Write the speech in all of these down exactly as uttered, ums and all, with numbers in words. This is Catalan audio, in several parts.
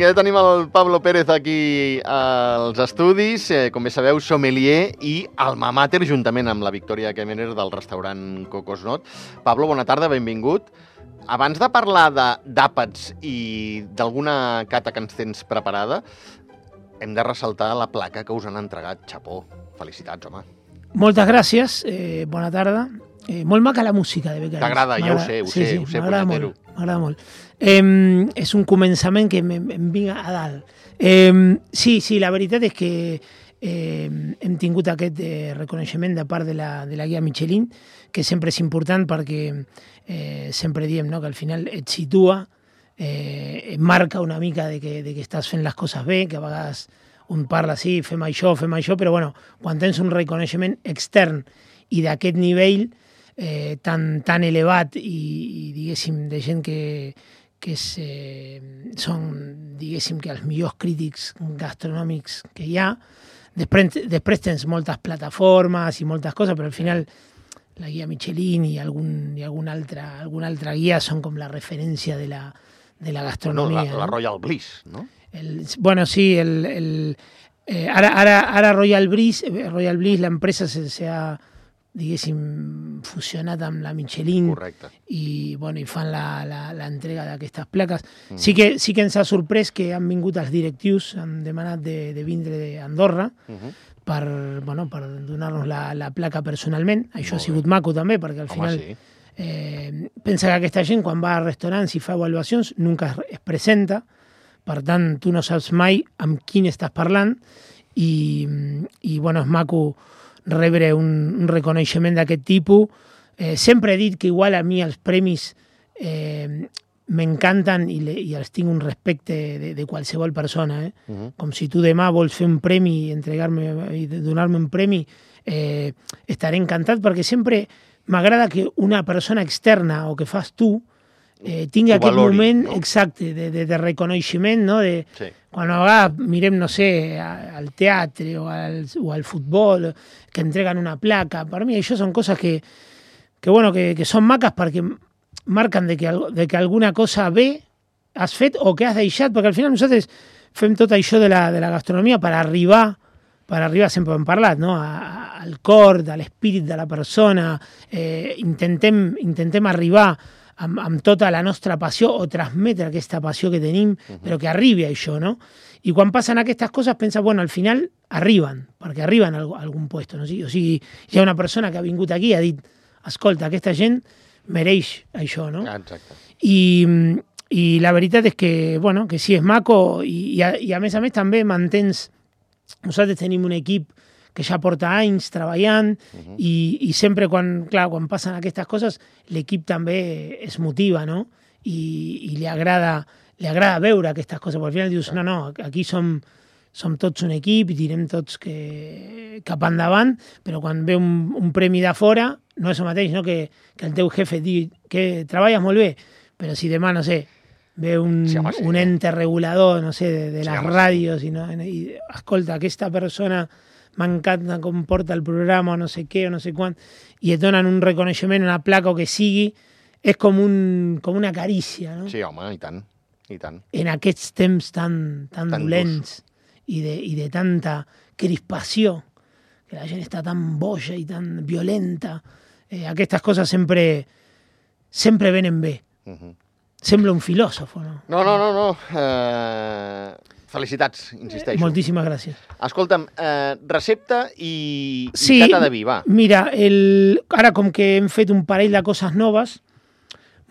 Vinga, ja tenim el Pablo Pérez aquí als estudis, eh, com bé sabeu, sommelier i alma mater, juntament amb la Victòria Kemener del restaurant Cocosnot. Pablo, bona tarda, benvingut. Abans de parlar d'àpats i d'alguna cata que ens tens preparada, hem de ressaltar la placa que us han entregat. Chapó, felicitats, home. Moltes gràcies, eh, bona tarda. Eh, molt maca la música de Becaris. T'agrada, ja ho sé, ho sí, sé, sí, ho sé, m'agrada punyetero. molt, m'agrada molt. Eh, és un començament que em, em vinga a dalt. Eh, sí, sí, la veritat és que eh, hem tingut aquest eh, reconeixement de part de la, de la guia Michelin, que sempre és important perquè eh, sempre diem, no?, que al final et situa, eh, et marca una mica de que, de que estàs fent les coses bé, que a vegades un parla sí, fem això, fem això, però bueno, quan tens un reconeixement extern i d'aquest nivell eh, tan, tan elevat i, i diguéssim de gent que, que és, eh, són diguéssim que els millors crítics gastronòmics que hi ha, després, després tens moltes plataformes i moltes coses, però al final la guia Michelin i algun, i alguna altra, alguna altra guia són com la referència de la, de la gastronomia. Bueno, la, la no? Royal Bliss, no? El, bueno, sí, el, el, eh, ara, ara, ara Royal Bliss, Royal Bliss, l'empresa se, se ha, diguéssim, fusionat amb la Michelin. Correcte. I, bueno, i fan l'entrega d'aquestes plaques. Mm. Sí, que, sí que ens ha sorprès que han vingut els directius, han demanat de, de vindre d'Andorra uh -huh. per, bueno, per donar-nos la, la placa personalment. Això Molt ha sigut bé. Maco també, perquè al Home, final sí. eh, pensa que aquesta gent quan va a restaurants i fa avaluacions nunca es, es presenta, per tant tu no saps mai amb quin estàs parlant i, i bueno, és maco rebre un, un reconeixement d'aquest tipus. Eh, sempre he dit que igual a mi els premis eh, m'encanten i, le, i els tinc un respecte de, de qualsevol persona. Eh? Uh -huh. Com si tu demà vols fer un premi i entregar-me i donar-me un premi, eh, estaré encantat perquè sempre m'agrada que una persona externa o que fas tu eh, tingui aquest valori, moment no? exacte de, de, de reconeixement, no? De, sí. Quan a vegades mirem, no sé, al teatre o al, o al futbol, que entreguen una placa, per mi això són coses que, que, bueno, que, que són maques perquè marquen de que, de que alguna cosa bé has fet o que has deixat, perquè al final nosaltres fem tot això de la, de la gastronomia per arribar, per arribar, sempre hem parlat, no? a, a, al cor, de l'espírit de la persona, eh, intentem, intentem arribar amb, amb tota la nostra passió o transmetre aquesta passió que tenim, uh-huh. però que arribi a això, no? I quan passen aquestes coses penses, bueno, al final arriben, perquè arriben a algun puesto, no? O sigui, hi ha una persona que ha vingut aquí i ha dit, escolta, aquesta gent mereix això, no? Exacte. I, i la veritat és que, bueno, que sí, és maco i, i, a, i a més a més també mantens... Nosaltres tenim un equip que ja porta anys treballant uh-huh. i, i sempre quan, clar, quan passen aquestes coses l'equip també es motiva, no? I, i li agrada li agrada veure aquestes coses, perquè al final dius, no, no, aquí som, som tots un equip i tirem tots que, cap endavant, però quan ve un, un premi de fora no és el mateix, no? que, que el teu jefe et digui que treballes molt bé, però si demà, no sé, ve un, sí, home, sí, un ente regulador, no sé, de, de sí, les home, ràdios sí. i, no, i escolta, aquesta persona m'encanta com porta el programa o no sé què o no sé quant, i et donen un reconeixement, una placa o que sigui, és com, un, com una carícia, no? Sí, home, i tant, i tant. En aquests temps tan, tan, tan dolents i de, i de tanta crispació, que la gent està tan boja i tan violenta, eh, aquestes coses sempre, sempre venen bé. Uh-huh. Sembla un filòsof, no? No, no, no, no. Uh, felicitats, insisteixo. Moltíssimes gràcies. Escolta'm, uh, recepta i, sí, i cata de vi, va. Mira, el, ara com que hem fet un parell de coses noves,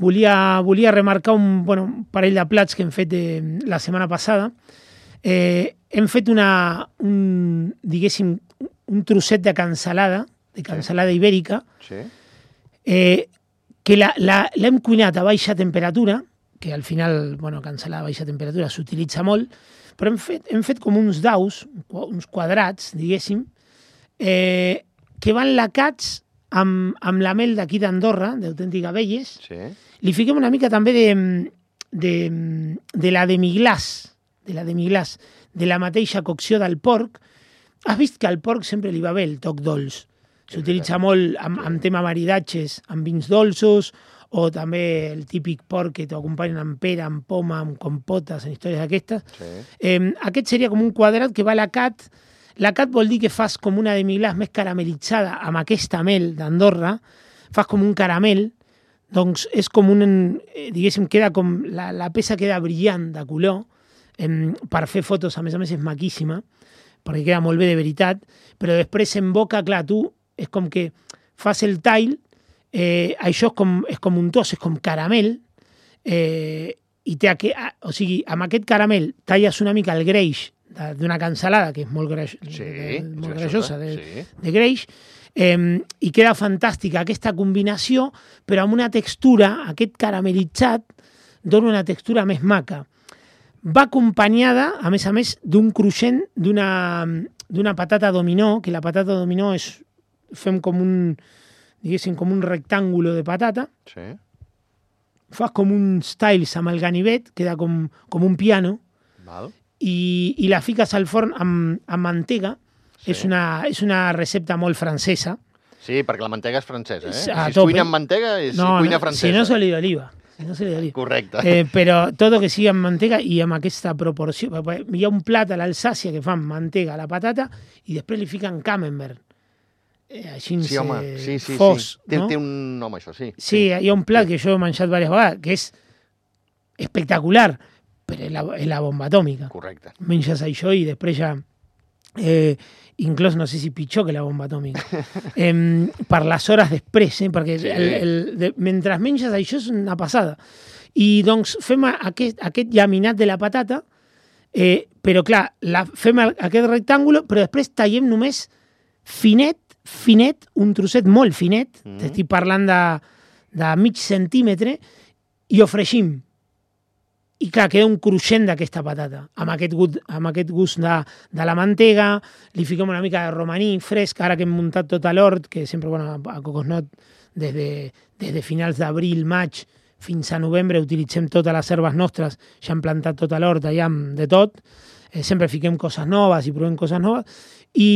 volia, volia remarcar un, bueno, un parell de plats que hem fet eh, la setmana passada. Eh, hem fet una, un, diguéssim, un trosset de cansalada, de cansalada sí. ibèrica, sí. eh, que l'hem cuinat a baixa temperatura, que al final, bueno, cansalada a baixa temperatura s'utilitza molt, però hem fet, hem fet com uns daus, uns quadrats, diguéssim, eh, que van lacats amb, amb la mel d'aquí d'Andorra, d'Autèntic Abelles. Sí. Li fiquem una mica també de, de, de la demi-glaç, de la demi-glaç, de la mateixa cocció del porc. Has vist que al porc sempre li va bé el toc dolç. S'utilitza molt amb, amb tema maridatges, amb vins dolços o també el típic porc que t'ho acompanyen amb pera, amb poma, amb compotes, en històries d'aquestes. Sí. Eh, aquest seria com un quadrat que va a la cat. La cat vol dir que fas com una demi-glaç més caramelitzada amb aquesta mel d'Andorra, fas com un caramel, doncs és com un, eh, diguéssim, queda com, la, la peça queda brillant de color, eh, per fer fotos, a més a més és maquíssima, perquè queda molt bé de veritat, però després en boca, clar, tu és com que fas el tall, eh, això és com, és com un tos, és com caramel, eh, i té aqu... o sigui, amb aquest caramel talles una mica el greix d'una cansalada, que és molt, greix, sí, de, molt sí, greixosa, de, sí. de greix, eh, i queda fantàstica aquesta combinació, però amb una textura, aquest caramelitzat, dona una textura més maca. Va acompanyada, a més a més, d'un cruixent d'una d'una patata dominó, que la patata dominó és, fem com un, diguéssim, com un rectàngulo de patata, Sí. fas com uns tiles amb el ganivet, queda com, com un piano, Val. i, i la fiques al forn amb, amb mantega. Sí. És, una, és una recepta molt francesa. Sí, perquè la mantega és francesa, eh? A Si es tope. cuina amb mantega, és No, cuina no, francesa. si no s'oli d'oliva. Si no s'oli d'oliva. Correcte. Eh, però tot que sigui amb mantega i amb aquesta proporció. Hi ha un plat a l'Alsàcia que fan mantega a la patata i després li fiquen camembert. Eh, així Sí, home, eh, sí, sí, fos, sí. Té, no? té un nom, això, sí. Sí, hi ha un plat que jo he menjat diverses vegades que és espectacular, però és la, és la bomba atòmica. Correcte. Menges això i després ja... Eh, inclús no sé si pitjor que la bomba atòmica. eh, per les hores després, eh, perquè Sí. el, el, de, mentre menges això és una passada. I doncs fem aquest, aquest llaminat de la patata, eh, però clar, la, fem el, aquest rectàngulo, però després tallem només finet, finet, un trosset molt finet, Mm. t'estic parlant de, de mig centímetre, i ho fregim. I clar, queda un cruixent d'aquesta patata, amb aquest gust, amb aquest gust de, de la mantega, li fiquem una mica de romaní fresc, ara que hem muntat tot a l'hort, que sempre, bueno, a Cocosnot, des de, des de finals d'abril, maig, fins a novembre, utilitzem totes les herbes nostres, ja hem plantat tot a l'hort, allà amb de tot, eh, sempre fiquem coses noves i provem coses noves, i,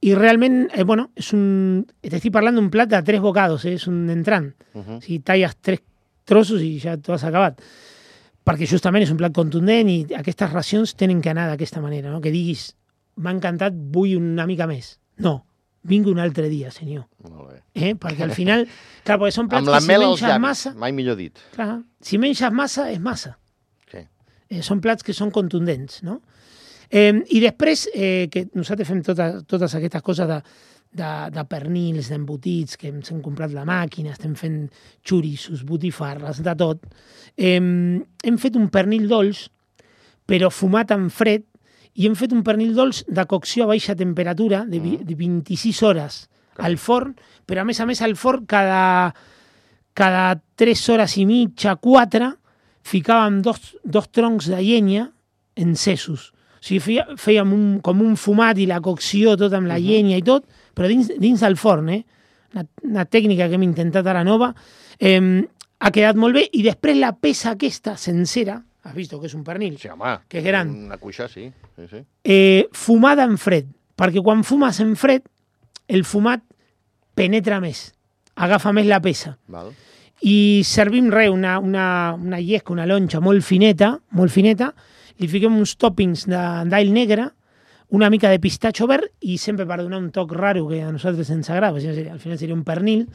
i realment, eh, bueno, és un, t'estic parlant d'un plat de tres bocados, eh, és un entrant, Uh -huh. o sigui, talles tres trossos i ja t'ho has acabat, perquè justament és un plat contundent i aquestes racions tenen que anar d'aquesta manera, no? Que diguis, m'ha encantat, vull una mica més. No, vingui un altre dia, senyor. Molt bé. Eh? Perquè al final, clar, perquè són plats Amb la que si mel als menges llavis, massa, mai millor dit. clar, si menges massa, és massa. Sí. Eh, són plats que són contundents, no? Eh, I després, eh, que nosaltres fem tota, totes aquestes coses de, de, de pernils, d'embotits, que ens hem comprat la màquina, estem fent xoriços, botifarres, de tot. Eh, hem fet un pernil dolç, però fumat en fred, i hem fet un pernil dolç de cocció a baixa temperatura, de, vi, de vint-i-sis hores al forn, però a més a més al forn cada, cada tres hores i mitja, quatre, ficàvem dos, dos troncs de llenya encesos. O sigui, feia, fèiem un, com un fumat i la cocció tot amb la Uh-huh. llenya i tot, però dins, dins del forn, eh? Una, una tècnica que hem intentat ara nova, eh, ha quedat molt bé, i després la peça aquesta sencera, has vist que és un pernil, Sí, home. que és gran, Una cuixa, sí. sí, sí. eh, fumada en fred, perquè quan fumes en fred, el fumat penetra més, agafa més la peça. Val. I servim res, una, una, una llesca, una lonxa molt fineta, molt fineta, li fiquem uns toppings d'all negre, una mica de pistatxo verd, i sempre per donar un toc raro que a nosaltres ens agrada, al final seria un pernil,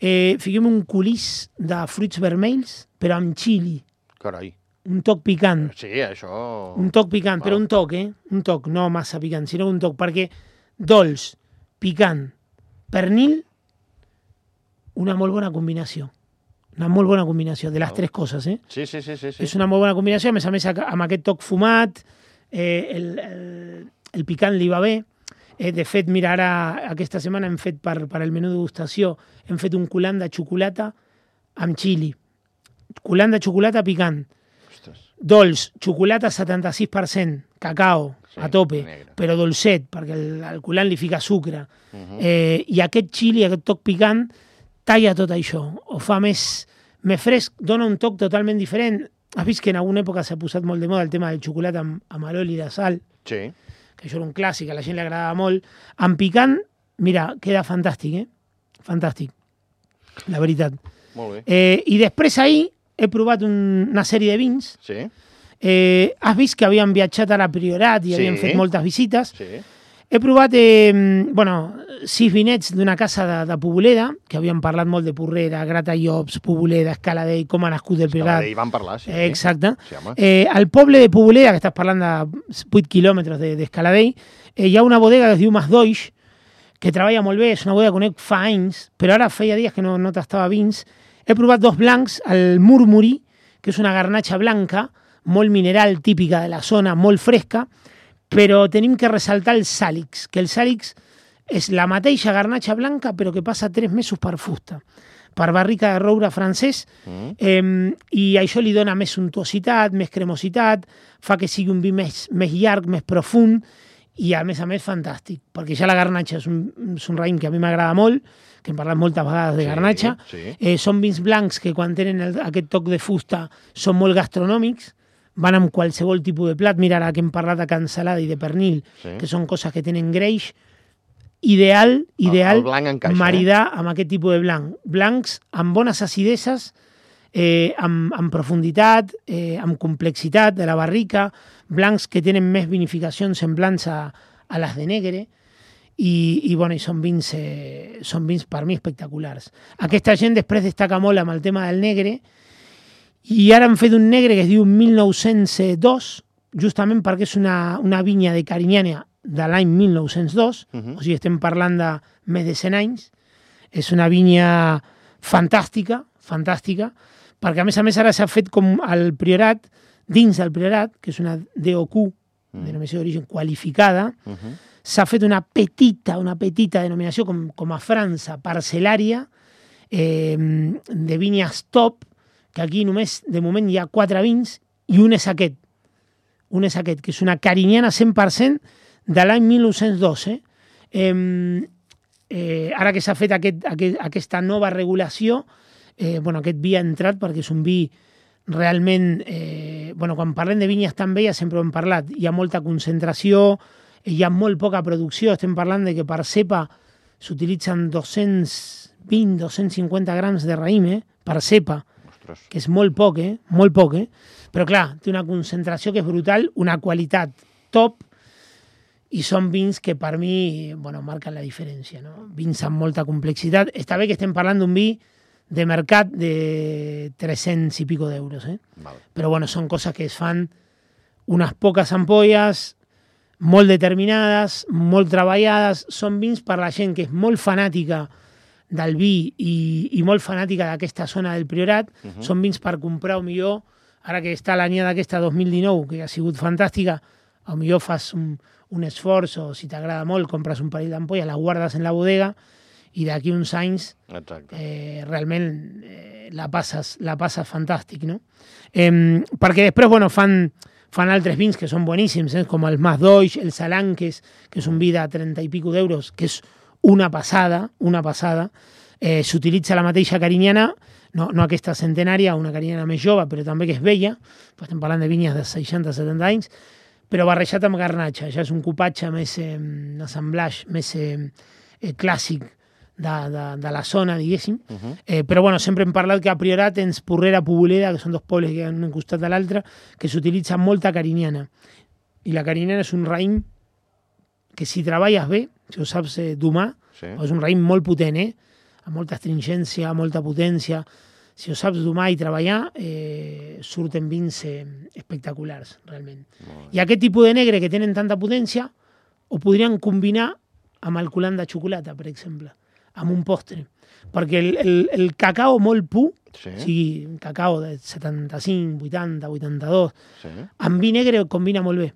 eh, fiquem un culís de fruits vermells, però amb xili, Carai. un toc picant. Sí, això... Un toc picant, Val. però un toc, eh? Un toc, no massa picant, sinó un toc, perquè dolç, picant, pernil, una molt bona combinació. Una molt bona combinació, de les Val. tres coses, eh? Sí, sí, sí, sí. sí. És una molt bona combinació, a més a més amb aquest toc fumat, eh, el, el, el picant li va bé. Eh, de fet, mira, ara aquesta setmana hem fet per, per el menú degustació, hem fet un culant de xocolata amb xili. Culant de xocolata picant. Ostres. Dolç, xocolata setanta-sis per cent, cacao, Sí, a tope, negre. però dolcet, perquè el, el culant li fica sucre. Uh -huh. eh, I aquest xili, aquest toc picant, talla tot això, ho fa més, més fresc, dona un toc totalment diferent. Has vist que en alguna època s'ha posat molt de moda el tema del xocolata amb, amb aloli de sal, Sí. que això era un clàssic, a la gent li agradava molt. Amb picant, mira, queda fantàstic, eh? Fantàstic, la veritat. Molt bé. Eh, I després ahir he provat un, una sèrie de vins. Sí. Eh, has vist que havien viatjat a la Priorat i Sí. havien fet moltes visites. Sí. He provat eh, bueno, sis vinets d'una casa de, de Poboleda, que havien parlat molt de Porrera, Gratallops, Poboleda, Escaladell, com ha nascut el Priorat. Escaladell van parlar, sí. Eh, exacte. Sí, home. Eh, al poble de Poboleda, que estàs parlant de vuit quilòmetres d'Escaladell, eh, hi ha una bodega que es diu Masdoix, que treballa molt bé, és una bodega que conec fa anys, però ara feia dies que no, no tastava vins. He provat dos blancs, el Murmuri, que és una garnatxa blanca, molt mineral, típica de la zona, molt fresca, però tenim que ressaltar el Sàlix, que el Sàlix és la mateixa garnatxa blanca, però que passa tres mesos per fusta, per barrica de roure francès, mm. eh, i això li dona més suntuositat, més cremositat, fa que sigui un vi més, més llarg, més profund, i a més a més fantàstic, perquè ja la garnatxa és un, és un raïm que a mi m'agrada molt, que hem parlat moltes vegades de garnatxa, sí, sí. Eh, són vins blancs que quan tenen el, aquest toc de fusta són molt gastronòmics, van amb qualsevol tipus de plat. Mira, ara que hem parlat de cansalada i de pernil, sí. que són coses que tenen greix, ideal, ideal el, el maridar eh? amb aquest tipus de blanc. Blancs amb bones acideses, eh, amb, amb profunditat, eh, amb complexitat de la barrica, blancs que tenen més vinificacions semblants a, a les de negre, i, i, bueno, i són, vins, eh, són vins per mi espectaculars. Aquesta gent després destaca molt amb el tema del negre, i ara han fet un negre que es diu mil nou-cents dos, justament perquè és una, una vinya de Carinyana de l'any mil nou-cents dos, uh -huh. o sigui, estem parlant de més de cent anys. És una vinya fantàstica, fantàstica, perquè a més a més ara s'ha fet com el Priorat, dins del Priorat, que és una D O Q, uh -huh. denominació d'origen qualificada, uh -huh. s'ha fet una petita, una petita denominació com, com a França, parcel·lària, eh, de vinyes top, que aquí només, de moment, hi ha quatre vins, i un és aquest, un és aquest, que és una Carinyana cent per cent de l'any mil nou-cents dos. Eh? Eh, eh, ara que s'ha fet aquest, aquest, aquesta nova regulació, eh, bueno, aquest vi ha entrat perquè és un vi realment... Eh, bueno, quan parlem de vinyes tan velles sempre ho hem parlat, hi ha molta concentració, hi ha molt poca producció, estem parlant de que per cepa s'utilitzen dos-cents vint a dos-cents cinquanta grams de raïm, eh, per cepa, que és molt poc, eh? Molt poc, eh? Però clar, té una concentració que és brutal, una qualitat top, i són vins que per mi, bueno, marquen la diferència, no? Vins amb molta complexitat. Està bé que estem parlant d'un vi de mercat de tres-cents i pico d'euros, eh? Vale. Però bueno, són coses que es fan unes poques ampolles, molt determinades, molt treballades, són vins per la gent que és molt fanàtica del vi i, i molt fanàtica d'aquesta zona del Priorat, uh-huh. són vins per comprar, o millor, ara que està l'anyada aquesta dos mil dinou, que ha sigut fantàstica, o millor fas un, un esforç, o si t'agrada molt, compres un parell d'ampolles, la guardes en la bodega, i d'aquí uns anys eh, realment eh, la, passes, la passes fantàstic, no? Eh, perquè després, bueno, fan, fan altres vins que són boníssims, eh, com el Masdoix, el Salanques, que és un vi de trenta i pico d'euros, que és una passada, una passada. Eh, s'utilitza la mateixa Carinyana, no, no aquesta centenària, una Carinyana més jove, però també que és vella, estem parlant de vinyes de seixanta a setanta anys, però barrejat amb garnatxa, ja és un cupatge més, eh, un assemblage més eh, eh, clàssic de, de, de la zona, diguéssim. Uh-huh. eh, però bueno, sempre hem parlat que a Priorat tens Porrera, Poboleda, que són dos pobles que han un costat de l'altre, que s'utilitza molta Carinyana. I la Carinyana és un raïm que si treballes bé, si ho saps eh, domar, sí. És un raïm molt potent, eh? Amb molta astringència, molta potència. Si ho saps domar i treballar, eh, surten vins eh, espectaculars, realment. I aquest tipus de negre que tenen tanta potència ho podrien combinar amb el culant de xocolata, per exemple, amb un postre. Perquè el, el, el cacao molt pur, sí. O sigui, un cacao de setanta-cinc, vuitanta, vuitanta-dos, sí. Amb vi negre combina molt bé.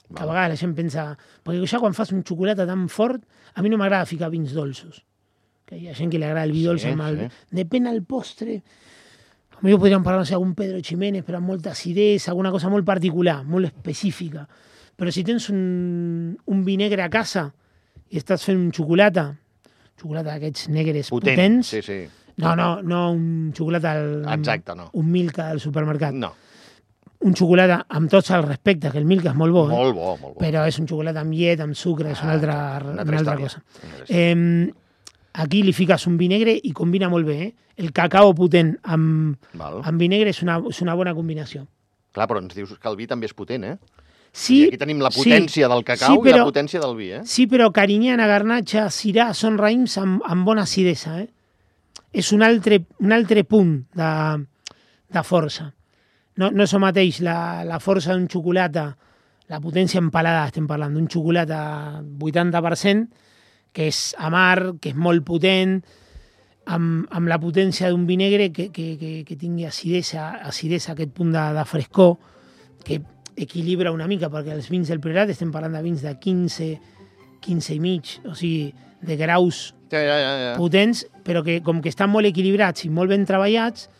Que a vegades la gent pensa... Perquè ja quan fas un xocolata tan fort, a mi no m'agrada ficar vins dolços. Que hi ha gent que li agrada el vi dolç sí, amb el... Sí. Depèn del postre. A mi podríem parlar, no sé, algun Pedro Ximénez, però amb molta acidesa, alguna cosa molt particular, molt específica. Però si tens un, un vi negre a casa i estàs fent un xocolata, xocolata d'aquests negres Potent, potents... Sí, sí. No, no, no un xocolata... Al, Exacte, no. Un Milka del supermercat. No. Un xocolata amb tots els respectes, que el Milka és molt bo, molt eh? bo, molt bo. Però és un xocolata amb llet, amb sucre, és una altra, una una altra cosa. Eh, aquí li fiques un vi negre i combina molt bé, eh? El cacao potent amb, Val. amb vi negre és una, és una bona combinació. Clar, però ens dius que el vi també és potent, eh? Sí, I aquí tenim la potència sí, del cacau sí, però, i la potència del vi, eh? Sí, però Carinyana, Garnatxa, Syrah són raïms amb, amb bona acidesa, eh? És un altre, un altre punt de, de força. No, no és el mateix la, la força d'un xocolata, la potència en paladar, estem parlant d'un xocolata vuitanta per cent, que és amarg, que és molt potent, amb, amb la potència d'un vi negre que, que, que, que tingui acidesa, acidesa, aquest punt de, de frescor, que equilibra una mica, perquè els vins del Priorat estem parlant de vins de quinze, quinze i mig, o sigui, de graus Ja, ja, ja, ja. potents, però que com que estan molt equilibrats i molt ben treballats,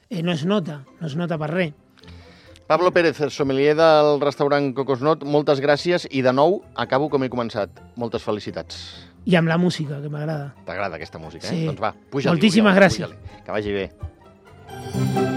eh, no es nota, no es nota per res. Pablo Pérez, sommelier del restaurant Cocosnot, moltes gràcies i de nou acabo com he començat. Moltes felicitats. I amb la música, que m'agrada. T'agrada aquesta música, eh? Sí. Doncs va, puja-li. Moltíssimes Oriol, gràcies. puja-li. Que vagi bé.